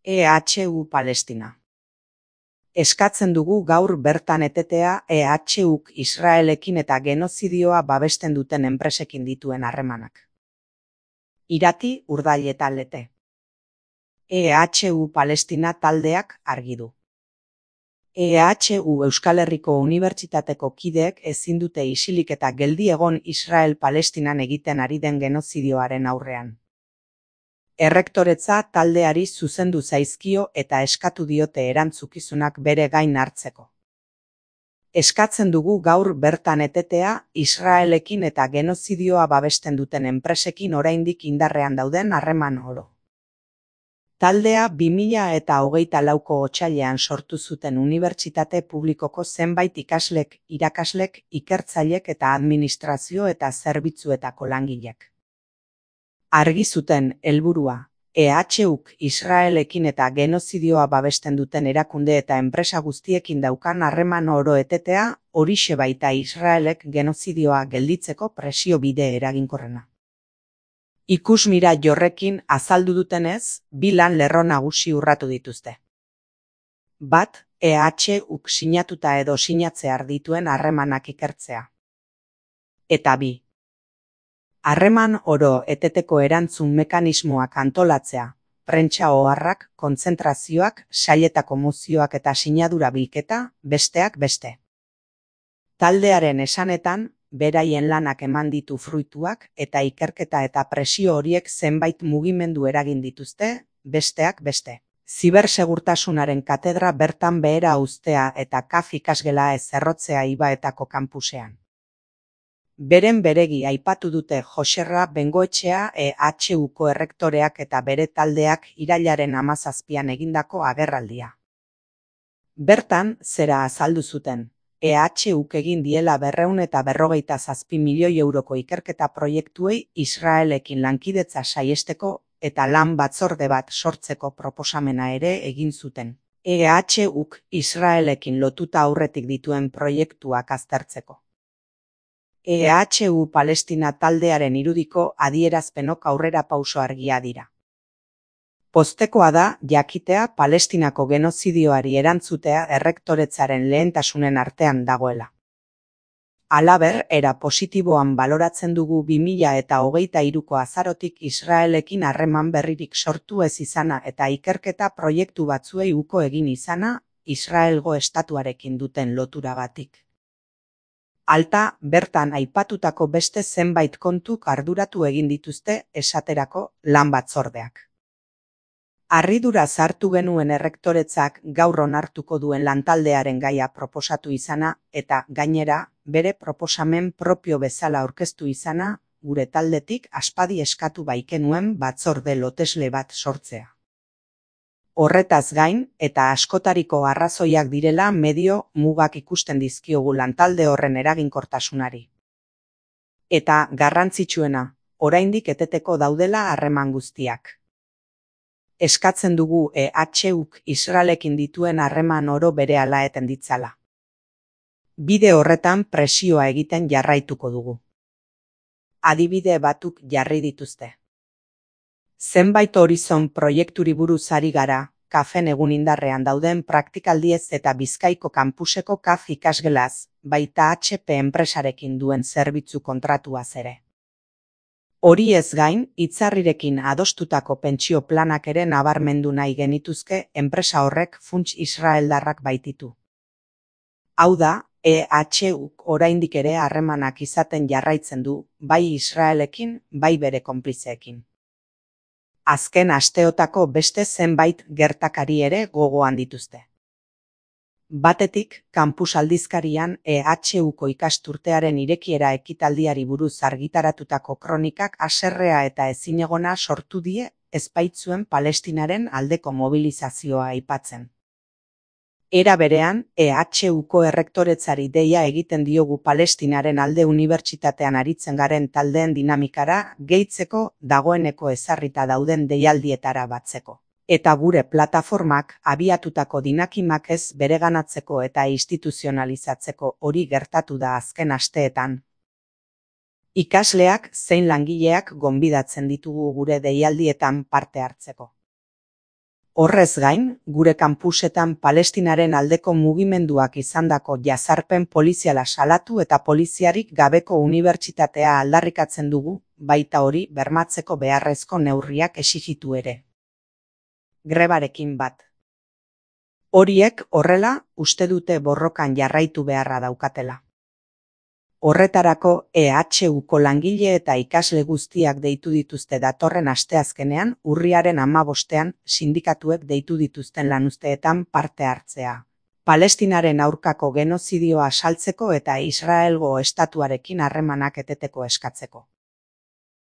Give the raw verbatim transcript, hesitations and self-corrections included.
E H U Palestina. Eskatzen dugu gaur bertan etetea E H Uk Israelekin eta genozidioa babesten duten enpresekin dituen harremanak. Irati, Urdail eta Lete. E H U Palestina taldeak argi du. E H U Euskal Herriko Unibertsitateko kideek ezin dute isilik eta geldi egon Israel-Palestinan egiten ari den genozidioaren aurrean. Errektoretza taldeari zuzendu zaizkio eta eskatu diote erantzukizunak bere gain hartzeko. Eskatzen dugu gaur bertan etetea Israelekin eta genozidioa babesten duten enpresekin oraindik indarrean dauden harreman oro. Taldea bi mila eta hogeita lauko otsailean sortu zuten unibertsitate publikoko zenbait ikaslek, irakaslek, ikertzailek eta administrazio eta zerbitzuetako langilek. Argi zuten helburua, E H Uk Israelekin eta genozidioa babesten duten erakunde eta enpresa guztiekin daukan harreman oro etetea, horixe baita Israelek genozidioa gelditzeko presio bide eraginkorrena. Ikusmira jorrekin azaldu dutenez, bi lan lerro nagusi urratu dituzte. Bat, E H Uk sinatuta edo sinatzear dituen harremanak ikertzea. Eta bi. Harreman oro eteteko erantzun mekanismoak antolatzea, prentsa oharrak, kontzentrazioak, sailetako mozioak eta sinadura bilketa, besteak beste. Taldearen esanetan, beraien lanak eman ditu fruituak eta ikerketa eta presio horiek zenbait mugimendu eragin dituzte, besteak beste. Zibersegurtasunaren katedra bertan behera uztea eta kaf ikasgela ez errotzea Ibaetako kanpusean. Beren beregi aipatu dute Joserra Bengoetxea E H Uko errektoreak eta bere taldeak irailaren hamazazpian egindako agerraldia. Bertan, zera azaldu zuten, E H Uk egin diela berrehun eta berrogeita zazpi milioi euroko ikerketa proiektuei Israelekin lankidetza saiesteko eta lan batzorde bat sortzeko proposamena ere egin zuten. E H Uk Israelekin lotuta aurretik dituen proiektuak aztertzeko. E H U Palestina taldearen irudiko adierazpenok aurrera pauso argia dira. Poztekoa da jakitea Palestinako genozidioari erantzutea errektoretzaren lehentasunen artean dagoela. Halaber, era positiboan baloratzen dugu bi mila eta hogeita hiruko azarotik Israelekin harreman berririk sortu ez izana eta ikerketa proiektu batzuei uko egin izana, Israelgo estatuarekin duten loturagatik. Alta, bertan aipatutako beste zenbait kontuk arduratu egin dituzte esaterako lan batzordeak. Harridura sartu genuen errektoretzak gaur onartuko duen lantaldearen gaia proposatu izana eta gainera bere proposamen propio bezala aurkeztu izana gure taldetik aspadi eskatu baikenuen batzorde lotesle bat sortzea. Horretaz gain, eta askotariko arrazoiak direla medio mugak ikusten dizkiogu lantalde horren eraginkortasunari. Eta garrantzitsuena, oraindik eteteko daudela harreman guztiak. Eskatzen dugu E H Uk Israelekin dituen harreman oro berehala eten ditzala. Bide horretan presioa egiten jarraituko dugu. Adibide batuk jarri dituzte. Zenbait horizon proiekturi buruz ari gara, kafen egun indarrean dauden praktikaldiez eta Bizkaiko kanpuseko kaf ikasgelaz, baita H P enpresarekin duen zerbitzu kontratuaz ere. Hori ez gain, hitzarrirekin adostutako pentsio planak ere nabarmendu nahi genituzke enpresa horrek funts israeldarrak baititu. Hau da, E H Uk oraindik ere harremanak izaten jarraitzen du, bai Israelekin, bai bere konplizeekin. Azken asteotako beste zenbait gertakari ere gogoan dituzte. Batetik, kanpus aldizkarian E H Uko ikasturtearen irekiera ekitaldiari buruz argitaratutako kronikak haserrea eta ezinegona sortu die ezbaitzuen Palestinaren aldeko mobilizazioa aipatzen. Era berean, E H Uko errektoretzari deia egiten diogu Palestinaren alde unibertsitatean aritzen garen taldeen dinamikara gehitzeko dagoeneko ezarrita dauden deialdietara batzeko. Eta gure plataformak abiatutako dinakimak ez bereganatzeko eta instituzionalizatzeko hori gertatu da azken asteetan. Ikasleak zein langileak gonbidatzen ditugu gure deialdietan parte hartzeko. Horrez gain, gure kanpusetan Palestinaren aldeko mugimenduak izandako jazarpen poliziala salatu eta poliziarik gabeko unibertsitatea aldarrikatzen dugu, baita hori bermatzeko beharrezko neurriak exijitu ere. Grebarekin bat. Horiek horrela uste dute borrokan jarraitu beharra daukatela. Horretarako E H Uko langile eta ikasle guztiak deitu dituzte datorren asteazkenean urriaren hamabostean sindikatuek deitu dituzten lanuzteetan parte hartzea. Palestinaren aurkako genozidioa saltzeko eta Israelgo estatuarekin harremanak eteteko eskatzeko.